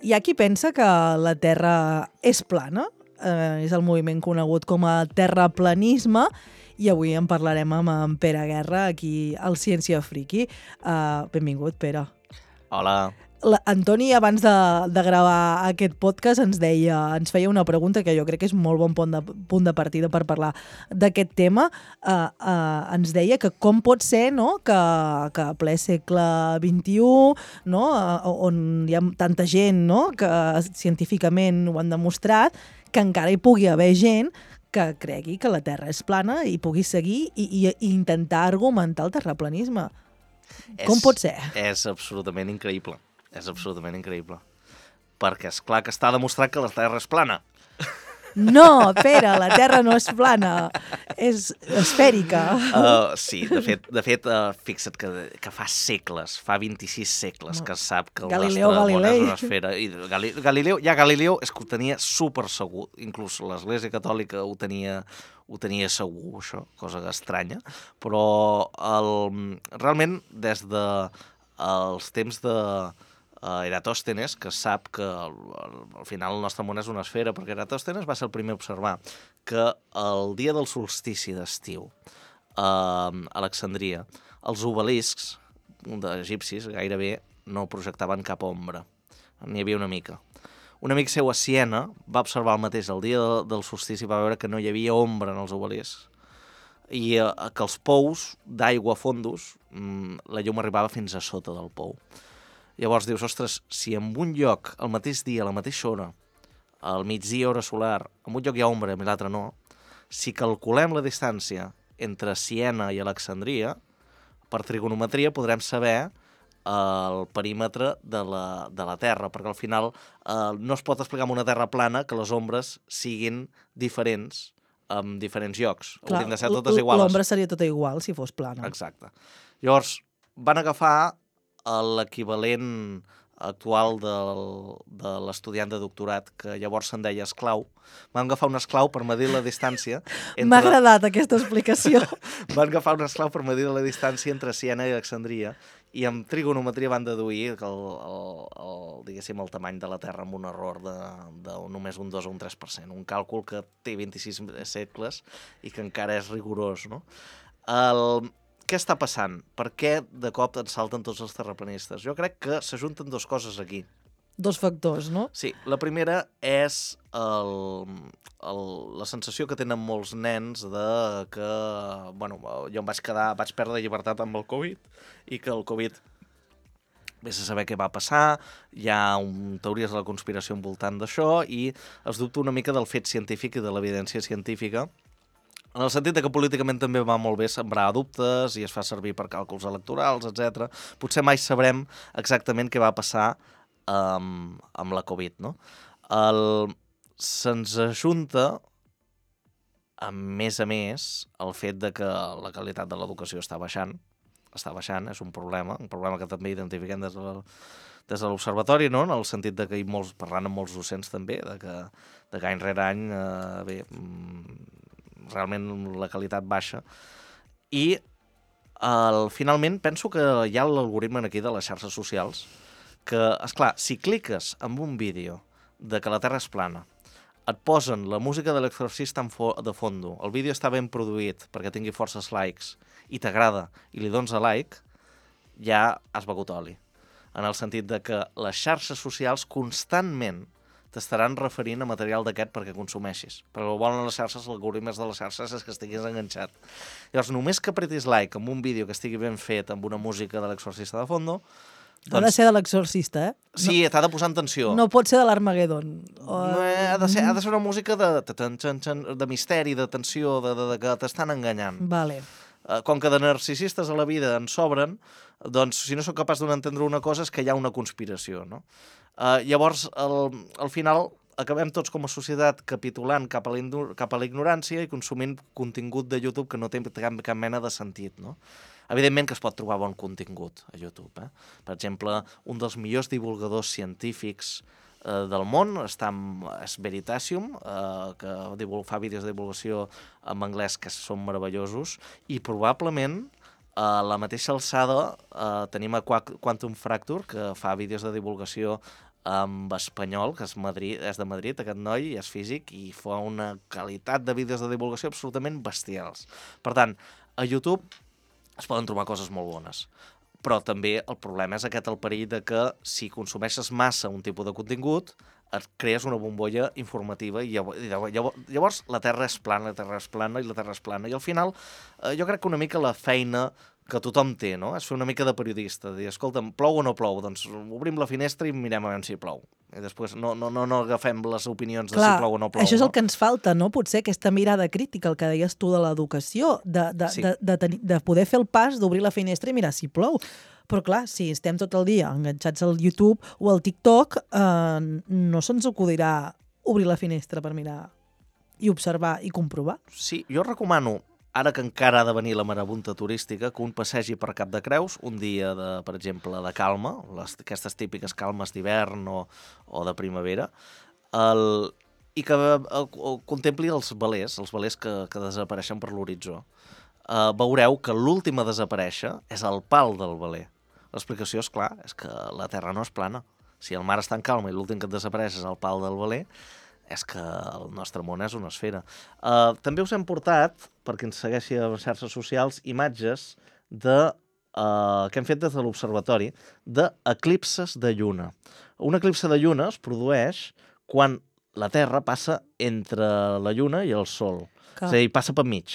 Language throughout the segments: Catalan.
Hi ha qui pensa que la Terra és plana, és el moviment conegut com a terraplanisme, i avui en parlarem amb en Pere Guerra, aquí al Ciència Friki. Benvingut, Pere. Hola. Antoni, abans de gravar aquest podcast, ens feia una pregunta que jo crec que és molt bon punt de partida per parlar d'aquest tema. Ens deia que com pot ser, no?, que a ple segle XXI, no?, on hi ha tanta gent, no?, que científicament ho han demostrat, que encara hi pugui haver gent que cregui que la Terra és plana i pugui seguir i intentar argumentar el terraplanisme. Com pot ser? És absolutament increïble. És absolutament increïble. Perquè és clar que està demostrat que la Terra és plana. No, Pere, la Terra no és plana, és esfèrica. Sí, de fet, fixa't que fa segles, fa 26 segles que es sap que el Galileu nostre món Galilei. és una esfera. I Galileu és que ho tenia super segur. Inclús l'Església Catòlica ho tenia segur, això, cosa estranya. Però realment, des dels temps de Eratòstenes, que sap que al final el nostre món és una esfera, perquè Eratòstenes va ser el primer a observar que el dia del solstici d'estiu a Alexandria, els obeliscs d'egipcis gairebé no projectaven cap ombra. N'hi havia una mica. Un amic seu a Siena va observar el mateix el dia del solstici i va veure que no hi havia ombra en els obeliscs i que els pous d'aigua fondos, la llum arribava fins a sota del pou. Llavors dius, ostres, si en un lloc, al mateix dia, a la mateixa hora, al migdia hora solar, en un lloc hi ha ombra i l'altre no, si calculem la distància entre Siena i Alexandria, per trigonometria podrem saber el perímetre de la Terra, perquè al final no es pot explicar amb una Terra plana que les ombres siguin diferents en diferents llocs. Clar, haurien de ser totes iguals. L'ombra seria tota igual si fos plana. Exacte. Llavors, van agafar l'equivalent actual de l'estudiant de doctorat, que llavors se'n deia esclau. Van agafar un esclau per medir la distància... M'ha agradat aquesta explicació. Van agafar un esclau per medir la distància entre Siena i Alexandria i amb trigonometria van deduir que diguéssim, el tamany de la Terra amb un error de només un 2 o un 3%. Un càlcul que té 26 segles i que encara és rigorós, no? Què està passant? Per què de cop ens salten tots els terraplanistes? Jo crec que s'ajunten dues coses aquí. Dos factors, no? Sí, la primera és la sensació que tenen molts nens de que, bueno, jo vaig perdre llibertat amb el Covid i que el Covid, vés a saber què va passar, hi ha teories de la conspiració envoltant d'això i es dubta una mica del fet científic i de l'evidència científica, en el sentit que políticament també va molt bé sembrar dubtes i es fa servir per càlculs electorals, etc. Potser mai sabrem exactament què va passar amb la Covid, no? Se'ns ajunta, a més, el fet de que la qualitat de l'educació està baixant, és un problema que també identifiquem des de l'observatori, no? En el sentit de que parlant amb molts docents també, de que any rere any, realment la qualitat baixa. I finalment penso que hi ha l'algoritme aquí de les xarxes socials que, esclar, si cliques en un vídeo de que la Terra és plana, et posen la música de l'Exorcista de fondo, el vídeo està ben produït perquè tingui forces likes i t'agrada i li dones a like, ja has begut oli. En el sentit de que les xarxes socials constantment t'estaran referint a material d'aquest perquè consumeixis. Perquè el volen les xarxes, l'algoritme de les xarxes és que estiguis enganxat. Llavors, només que apretis like amb un vídeo que estigui ben fet amb una música de l'Exorcista de fondo... Ha de ser de l'Exorcista, eh? Sí, t'ha de posar en tensió. No pot ser de l'Armagedon. Ha de ser una música de misteri, de tensió, de que t'estan enganyant. Vale. Com que de narcisistes a la vida en sobren, doncs si no sóc capaç d'entendre una cosa és que hi ha una conspiració, no? Llavors, al final, acabem tots com a societat capitulant cap a la ignorància i consumint contingut de YouTube que no té cap mena de sentit, no? Evidentment que es pot trobar bon contingut a YouTube. Per exemple, un dels millors divulgadors científics del món és Veritasium, que fa vídeos de divulgació en anglès que són meravellosos, i probablement a la mateixa alçada tenim a Quantum Fracture, que fa vídeos de divulgació amb espanyol, que és de Madrid, aquest noi, és físic, i fa una qualitat de vídeos de divulgació absolutament bestials. Per tant, a YouTube es poden trobar coses molt bones. Però també el problema és el perill de que si consumeixes massa un tipus de contingut, et crees una bombolla informativa i llavors la Terra és plana, i al final jo crec que una mica la feina que tothom té, no? És fer una mica de periodista, dir, escolta'm, plou o no plou? Doncs obrim la finestra i mirem a veure si plou. I després no agafem les opinions de si plou o no plou. Això és el que ens falta, no? Potser aquesta mirada crítica, el que deies tu de l'educació, de poder fer el pas d'obrir la finestra i mirar si plou. Però clar, si estem tot el dia enganxats al YouTube o al TikTok, no se'ns acudirà obrir la finestra per mirar i observar i comprovar. Sí, jo recomano, ara que encara ha de venir la marabunta turística, que un passegi per Cap de Creus, un dia, per exemple, de calma, aquestes típiques calmes d'hivern o de primavera, i que contempli els velers que desapareixen per l'horitzó. Veureu que l'últim a desaparèixer és el pal del veler. L'explicació, és clar, és que la Terra no és plana. Si el mar està en calma i l'últim que et desapareix és el pal del veler, és que el nostre món és una esfera. També us hem portat, perquè ens segueixi a les xarxes socials, imatges que hem fet des de l'observatori d'eclipses de lluna. Un eclipse de lluna es produeix quan la Terra passa entre la lluna i el sol. És a dir, passa per mig.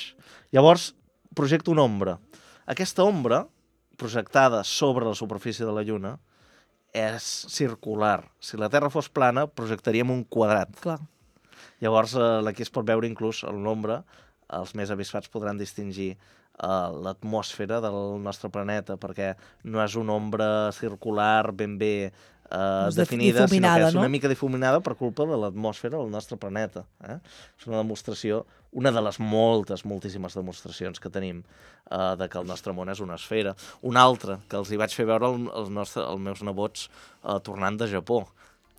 Llavors, projecta una ombra. Aquesta ombra, projectada sobre la superfície de la lluna, és circular. Si la Terra fos plana, projectaríem un quadrat. Clar. Llavors, aquí es pot veure inclús el nombre, els més avispats podran distingir l'atmosfera del nostre planeta, perquè no és una ombra circular ben bé definida, sinó que és una mica difuminada per culpa de l'atmosfera del nostre planeta. És una demostració, una de les moltíssimes demostracions que tenim de que el nostre món és una esfera. Una altra, que els hi vaig fer veure els meus nebots tornant de Japó.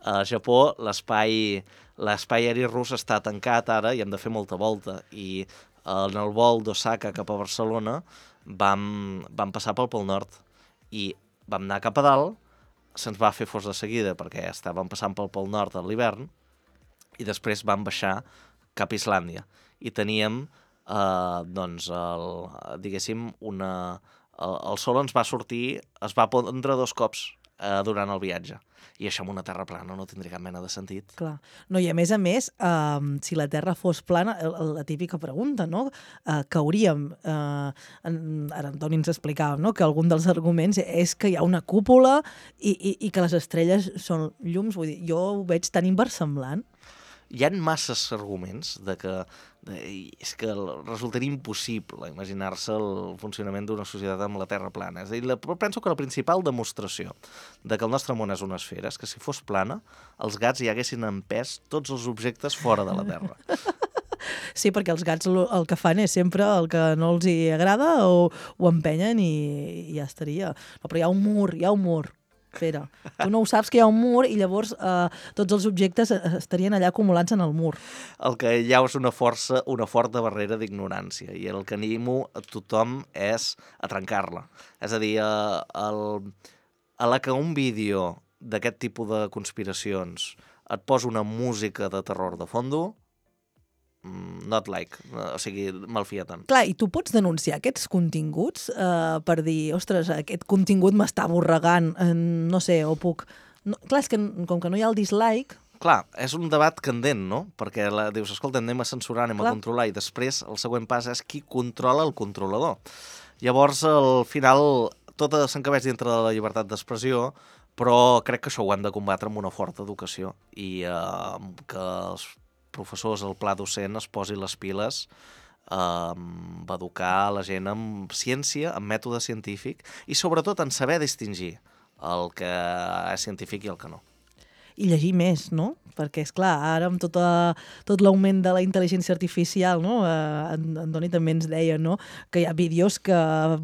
A Japó l'espai aeri rus està tancat ara i hem de fer molta volta. I en el vol d'Osaka cap a Barcelona vam passar pel Pol Nord i vam anar cap a dalt, se'ns va fer fos de seguida perquè estàvem passant pel Pol Nord a l'hivern i després vam baixar cap a Islàndia i teníem diguéssim el sol ens va sortir, es va pondre 2 cops durant el viatge. I això amb una terra plana no tindria cap mena de sentit. Clar. No, i a més, si la Terra fos plana, la típica pregunta, no? Cauríem. Ara Antoni ens explicava, no?, que algun dels arguments és que hi ha una cúpula i que les estrelles són llums. Vull dir, jo ho veig tan inversemblant. Hi ha masses arguments és que resultaria impossible imaginar-se el funcionament d'una societat amb la Terra plana. És a dir, penso que la principal demostració de que el nostre món és una esfera és que si fos plana, els gats hi haguessin empès tots els objectes fora de la Terra. Sí, perquè els gats el que fan és sempre el que no els hi agrada o ho empenyen i ja estaria. No, però hi ha un mur. Espera, tu no ho saps que hi ha un mur i llavors tots els objectes estarien allà acumulats en el mur. El que hi ha és una forta barrera d'ignorància i el que animo a tothom és a trencar-la. És a dir, a la que un vídeo d'aquest tipus de conspiracions et posa una música de terror de fondo, not like, o sigui, malfia tant. Clar, i tu pots denunciar aquests continguts per dir, ostres, aquest contingut m'està avorregant, no sé, o puc... No, clar, és que com que no hi ha el dislike... Clar, és un debat candent, no? Perquè dius, escolta, anem a censurar, anem a controlar, i després el següent pas és qui controla el controlador. Llavors, al final, tot s'encabeix dintre de la llibertat d'expressió, però crec que això ho hem de combatre amb una forta educació i que els professors, el pla docent, es posi les piles a educar la gent amb ciència, amb mètode científic i sobretot en saber distingir el que és científic i el que no. I llegir més, no? Perquè, és clar, ara amb tot l'augment de la intel·ligència artificial, no? Antoni també ens deia, no?, que hi ha vídeos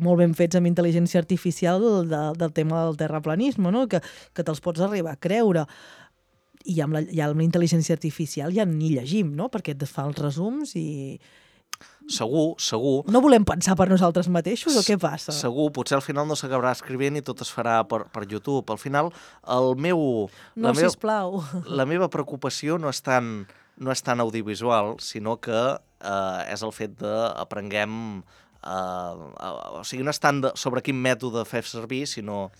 molt ben fets amb intel·ligència artificial del tema del terraplanisme, no?, que te'ls pots arribar a creure. I amb la intel·ligència artificial ja ni llegim, no?, perquè et fa els resums i Segur. No volem pensar per nosaltres mateixos o què passa? Segur, potser al final no s'acabarà escrivint i tot es farà per YouTube. Al final, Sisplau. la meva preocupació no és tan audiovisual, sinó que és el fet d'aprenguem... o sigui, no és tant sobre quin mètode fer servir, sinó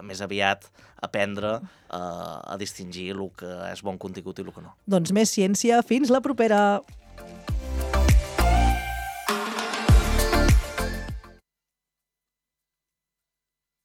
més aviat aprendre a distingir el que és bon contingut i el que no. Doncs més ciència. Fins la propera!